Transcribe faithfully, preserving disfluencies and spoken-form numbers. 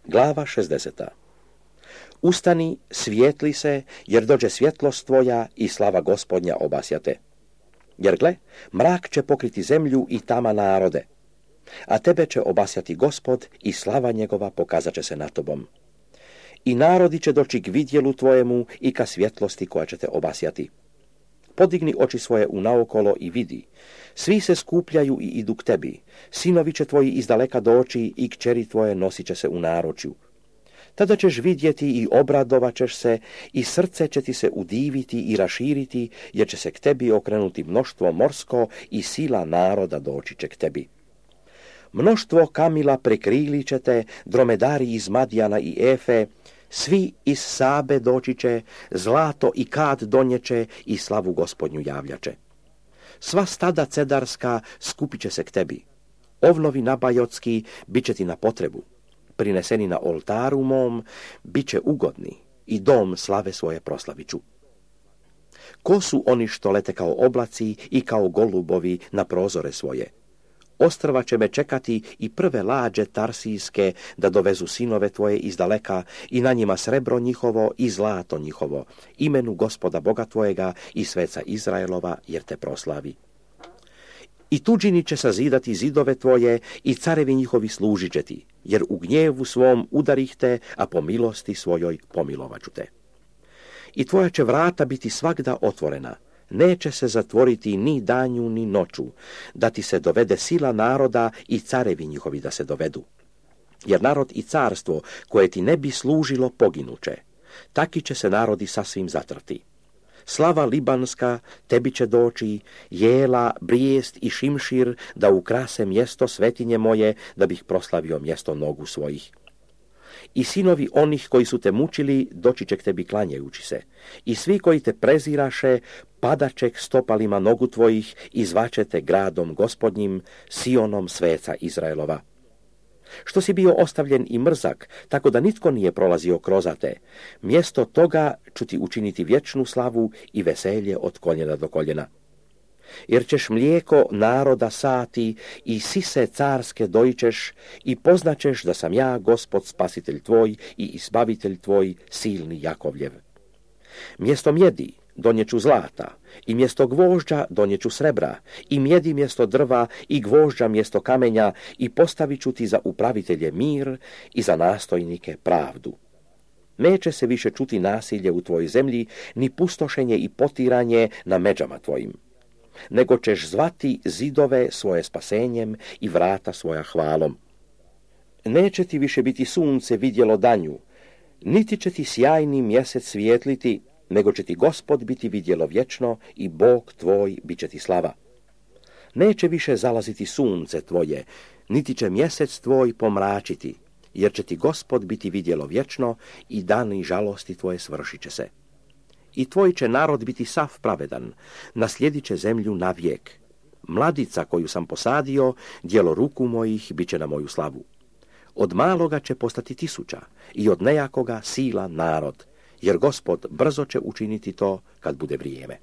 Glava šezdeseta. Ustani, svijetli se, jer dođe svjetlost tvoja i slava Gospodnja obasjate. Jer gle, mrak će pokriti zemlju i tama narode, a tebe će obasjati Gospod i slava njegova pokazat će se na tobom. I narodi će doći k vidjelu tvojemu i ka svjetlosti koja će te obasjati. Podigni oči svoje unaokolo i vidi. Svi se skupljaju i idu k tebi. Sinovi će tvoji izdaleka doći i kćeri tvoje nosit će se u naručju. Tada ćeš vidjeti i obradovat ćeš se i srce će ti se udiviti i raširiti, jer će se k tebi okrenuti mnoštvo morsko i sila naroda doći će k tebi. Mnoštvo kamila prekrili će te, dromedari iz Madijana i Efe, svi iz Sabe doći će, zlato i kad donjeće i slavu Gospodnju javljače. Sva stada cedarska skupit će se k tebi. Ovnovi nabajotski bit će ti na potrebu. Prineseni na oltaru mom, bit će ugodni i dom slave svoje proslaviću. Ko su oni što lete kao oblaci i kao golubovi na prozore svoje? Ostrva će me čekati i prve lađe tarsijske da dovezu sinove tvoje izdaleka i na njima srebro njihovo i zlato njihovo, imenu Gospoda Boga tvojega i sveca Izraelova, jer te proslavi. I tuđini će sazidati zidove tvoje i carevi njihovi služit će ti, jer u gnjevu svom udarih te, a po milosti svojoj pomilovaću te. I tvoja će vrata biti svagda otvorena, neće se zatvoriti ni danju ni noću, da ti se dovede sila naroda i carevi njihovi da se dovedu. Jer narod i carstvo koje ti ne bi služilo poginuće, taki će se narodi sasvim zatrti. Slava libanska tebi će doći, jela, brijest i šimšir da ukrase mjesto svetinje moje, da bih proslavio mjesto nogu svojih. I sinovi onih koji su te mučili doći će k tebi klanjajući se, i svi koji te preziraše padaće k stopalima nogu tvojih i zvaće te gradom Gospodnjim, Sionom sveca Izraelova. Što si bio ostavljen i mrzak, tako da nitko nije prolazio krozate, mjesto toga ću ti učiniti vječnu slavu i veselje od koljena do koljena. Jer ćeš mlijeko naroda sati i sise carske dojićeš i poznaćeš da sam ja, Gospod spasitelj tvoj i izbavitelj tvoj, silni Jakovljev. Mjesto mjedi donjeću zlata, i mjesto gvožđa donjeću srebra, i mjedi mjesto drva, i gvožđa mjesto kamenja, i postavit ću ti za upravitelje mir i za nastojnike pravdu. Neće se više čuti nasilje u tvojoj zemlji, ni pustošenje i potiranje na međama tvojim, nego ćeš zvati zidove svoje spasenjem i vrata svoja hvalom. Neće ti više biti sunce vidjelo danju, niti će ti sjajni mjesec svijetliti, nego će ti Gospod biti vidjelo vječno i Bog tvoj bit će ti slava. Neće više zalaziti sunce tvoje, niti će mjesec tvoj pomračiti, jer će ti Gospod biti vidjelo vječno i dani žalosti tvoje svršit će se. I tvoj će narod biti sav pravedan, naslijedit će zemlju navijek. Mladica koju sam posadio, djelo ruku mojih, bit će na moju slavu. Od maloga će postati tisuća i od nejakoga sila narod, jer Gospod brzo će učiniti to kad bude vrijeme.